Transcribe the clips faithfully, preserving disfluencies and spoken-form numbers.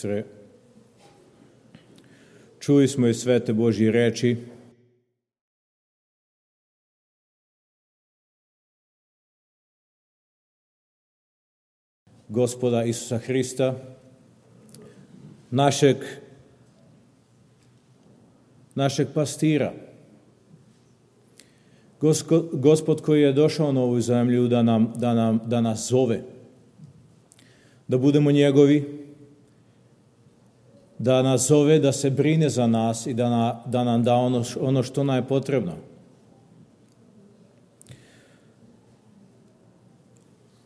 sestre, čuli smo i svete Božje reči. Gospoda Isusa Hrista, našeg, našeg pastira. Gospod, Gospod koji je došao na ovu zemlju da, nam, da, nam, da nas zove, da budemo njegovi, da nas zove, da se brine za nas i da, na, da nam da ono, ono što nam je potrebno.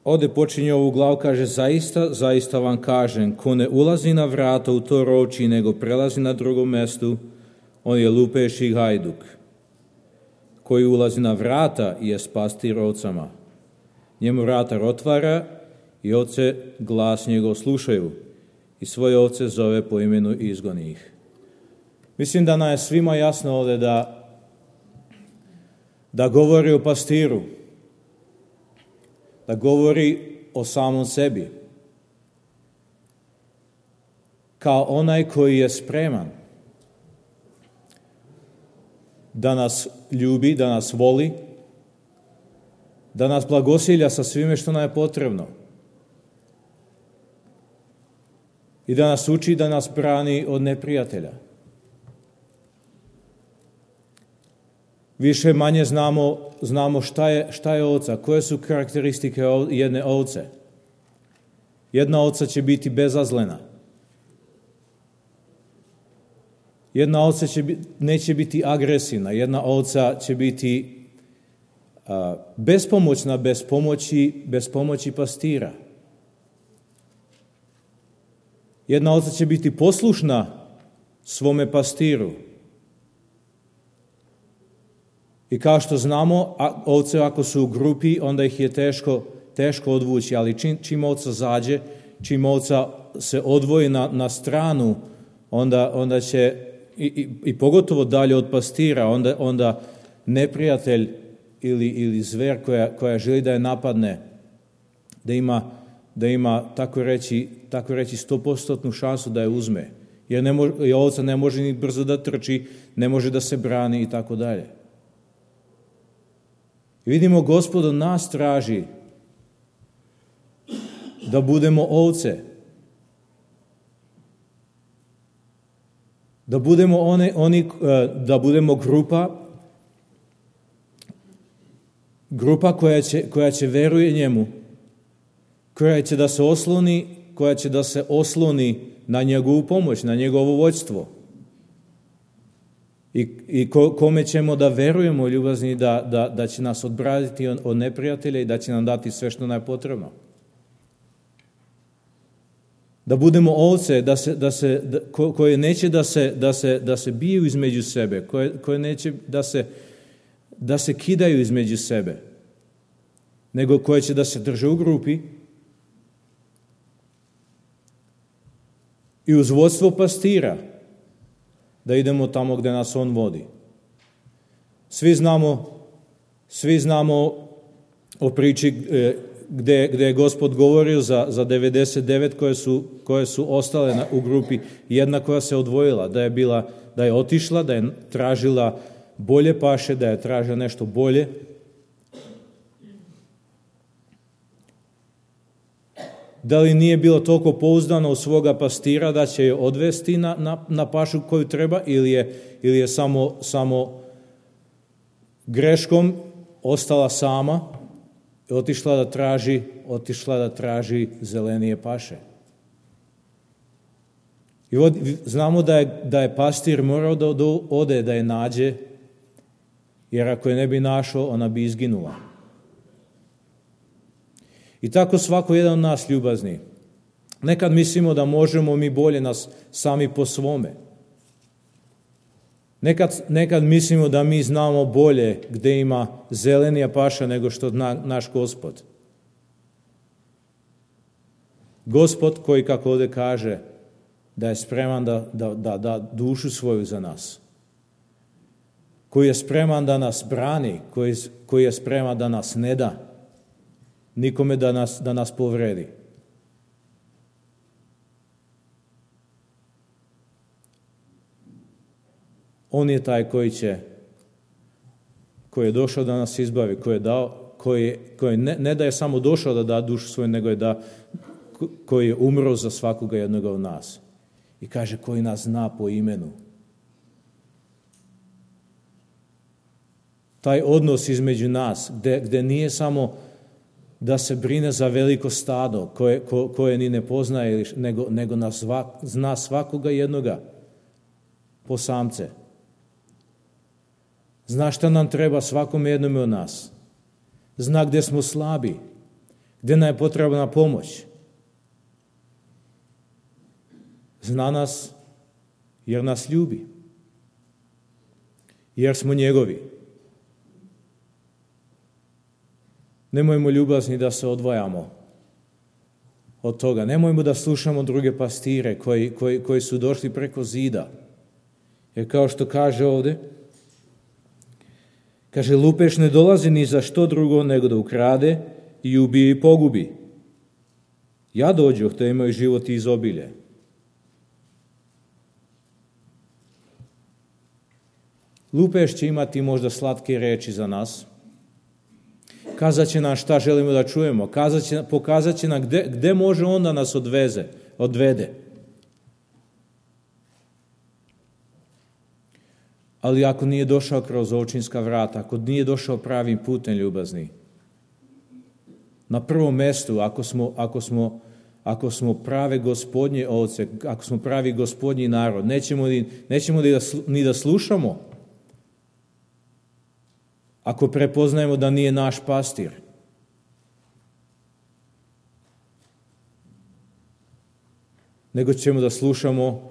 Ovdje počinje ovu glavu, kaže, zaista, zaista vam kažem, ko ne ulazi na vrata u to rovči, nego prelazi na drugom mjestu, on je lupež i hajduk. Koji ulazi na vrata je pastir ovcama. Njemu vratar otvara i ovce glas njegov slušaju i svoje ovce zove po imenu i izgoni ih. Mislim da nam je svima jasno ovdje da, da govori o pastiru, da govori o samom sebi, kao onaj koji je spreman da nas ljubi, da nas voli, da nas blagosilja sa svime što nam je potrebno i da nas uči, da nas brani od neprijatelja. Više manje znamo, znamo šta je, šta je ovca, koje su karakteristike jedne ovce. Jedna ovca će biti bezazlena. Jedna ovca će, neće biti agresivna. Jedna ovca će biti a, bespomoćna bez pomoći, bez pomoći pastira. Jedna ovca će biti poslušna svome pastiru. I kao što znamo, ovce ako su u grupi, onda ih je teško, teško odvući, ali čim, čim ovca zađe, čim ovca se odvoji na, na stranu, onda, onda će, i, i, i pogotovo dalje od pastira, onda, onda neprijatelj ili, ili zver koja, koja želi da je napadne, da ima, da ima tako reći, tako reći stopostotnu šansu da je uzme. Jer, ne može, jer ovca ne može ni brzo da trči, ne može da se brani i tako dalje. Vidimo, Gospod od nas traži da budemo ovce, da budemo one, oni, da budemo grupa, grupa koja će, koja će veruje njemu, koja će da se osloni, koja će da se osloni na njegovu pomoć, na njegovo vođstvo. I, i ko, kome ćemo da verujemo, ljubazni, da, da, da će nas odbraniti od, od neprijatelja i da će nam dati sve što nam je potrebno. Da budemo ovce, da se, da se, da, ko, koje neće da se, da se, da se biju između sebe, koje, koje neće da se, da se kidaju između sebe, nego koje će da se drže u grupi i uz vodstvo pastira, da idemo tamo gdje nas on vodi. Svi znamo, svi znamo o priči gdje, gdje je Gospod govorio za, za devedeset devet koje su, koje su ostale na, u grupi, jedna koja se odvojila, da je bila, da je otišla, da je tražila bolje paše, da je tražila nešto bolje. Da li nije bilo toliko pouzdano u svoga pastira da će je odvesti na, na, na pašu koju treba, ili je, ili je samo, samo greškom ostala sama i otišla da traži, otišla da traži zelenije paše. I od, znamo da je, da je pastir morao da ode, da je nađe, jer ako je ne bi našao, ona bi izginula. I tako svako jedan od nas, ljubazni. Nekad mislimo da možemo mi bolje nas sami po svome. Nekad, nekad mislimo da mi znamo bolje gdje ima zelenija paša nego što na, naš Gospod. Gospod koji, kako ovdje kaže, da je spreman da, da, da, da dušu svoju za nas. Koji je spreman da nas brani, koji, koji je spreman da nas ne da nikome da nas, da nas povredi. On je taj koji će, koji je došao da nas izbavi, koji je dao, koji, koji ne, ne da je samo došao da da dušu svoju, nego je da, koji je umro za svakoga jednoga od nas. I kaže, koji nas zna po imenu. Taj odnos između nas, gde, gde nije samo da se brine za veliko stado koje, ko, koje ni ne poznaje, nego, nego nas svak, zna svakoga jednoga po samce. Zna šta nam treba svakom jednome od nas. Zna gde smo slabi, gde nam je potrebna pomoć. Zna nas jer nas ljubi, jer smo njegovi. Nemojmo ljubazni da se odvajamo od toga. Nemojmo da slušamo druge pastire koji, koji, koji su došli preko zida. Jer kao što kaže ovde, kaže, lupeš ne dolazi ni za što drugo nego da ukrade i ubije i pogubi. Ja dođoh da imaju život i izobilje. Lupeš će imati možda slatke reči za nas. Kazat će nam šta želimo da čujemo. Kazat će, pokazat će nam gde, gde može on da nas odveze, odvede. Ali ako nije došao kroz ovčinska vrata, ako nije došao pravim putem ljubazni, na prvom mestu, ako smo, ako smo, ako smo prave gospodnje ovce, ako smo pravi gospodnji narod, nećemo, ni, nećemo ni, da, ni da slušamo. Ako prepoznajemo da nije naš pastir. Nego ćemo da slušamo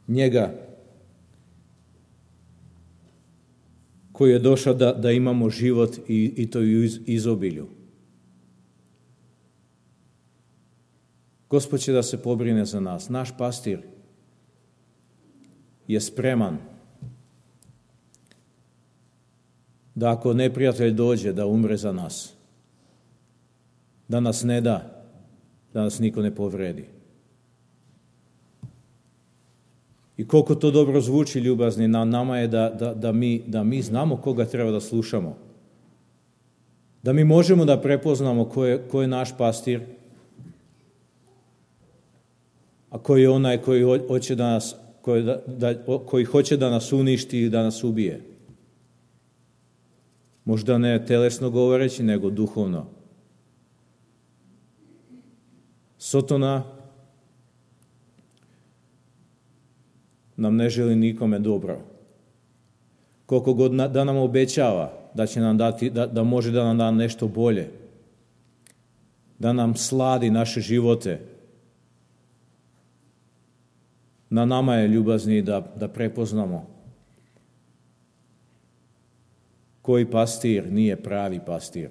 njega koji je došao da, da imamo život i, i to u iz, izobilju. Gospod će da se pobrine za nas. Naš pastir je spreman da ako neprijatelj dođe da umre za nas, da nas ne da, da nas niko ne povredi. I koliko to dobro zvuči, ljubazni, na nama je da, da, da, mi, da mi znamo koga treba da slušamo. Da mi možemo da prepoznamo ko je, ko je naš pastir, a koji je onaj koji hoće da nas, koji, da, da, koji hoće da nas uništi i da nas ubije. Možda ne telesno govoreći, nego duhovno. Sotona nam ne želi nikome dobro. Koliko god da nam obećava da će nam dati, da, da može da nam da nešto bolje, da nam sladi naše živote, na nama je, ljubazni, da, da prepoznamo koji pastir nije pravi pastir.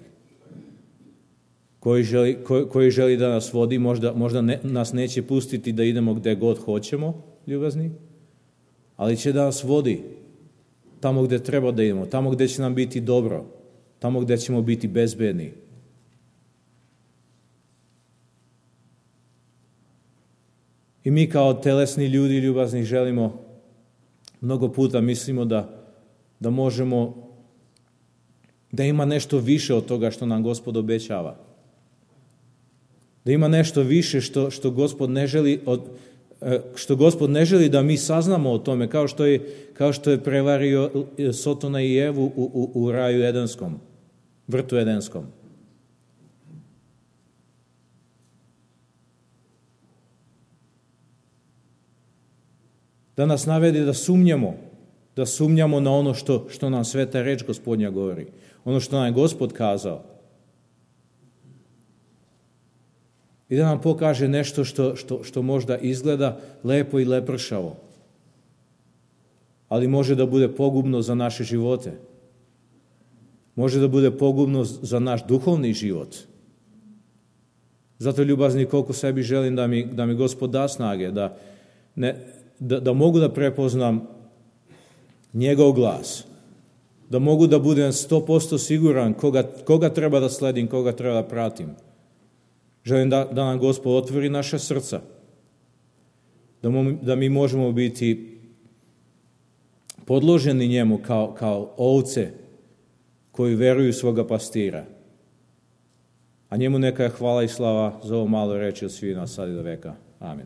Koji želi, koji, koji želi da nas vodi, možda, možda ne, nas neće pustiti da idemo gde god hoćemo, ljubazni, ali će da nas vodi tamo gde treba da idemo, tamo gde će nam biti dobro, tamo gde ćemo biti bezbedni. I mi kao telesni ljudi, ljubazni, želimo, mnogo puta mislimo da, da možemo, da ima nešto više od toga što nam Gospod obećava. Da ima nešto više što, što Gospod ne želi od, što Gospod ne želi da mi saznamo o tome, kao što je, kao što je prevario Sotona i Evu u, u, u raju Edenskom, vrtu Edenskom. Da nas navede da sumnjamo, da sumnjamo na ono što, što nam sveta reč Gospodnja govori, ono što nam je Gospod kazao. I da nam pokaže nešto što, što, što možda izgleda lepo i lepršavo, ali može da bude pogubno za naše živote. Može da bude pogubno za naš duhovni život. Zato, ljubazni, koliko sebi želim da mi, da mi Gospod da snage, da, ne, da, da mogu da prepoznam njegov glas, da mogu da budem sto posto siguran koga, koga treba da sledim, koga treba da pratim. Želim da, da nam Gospod otvori naša srca, da, mo, da mi možemo biti podloženi njemu kao, kao ovce koji veruju svoga pastira. A njemu neka je hvala i slava za ovo malo reči od svih nas sad i do veka. Amin.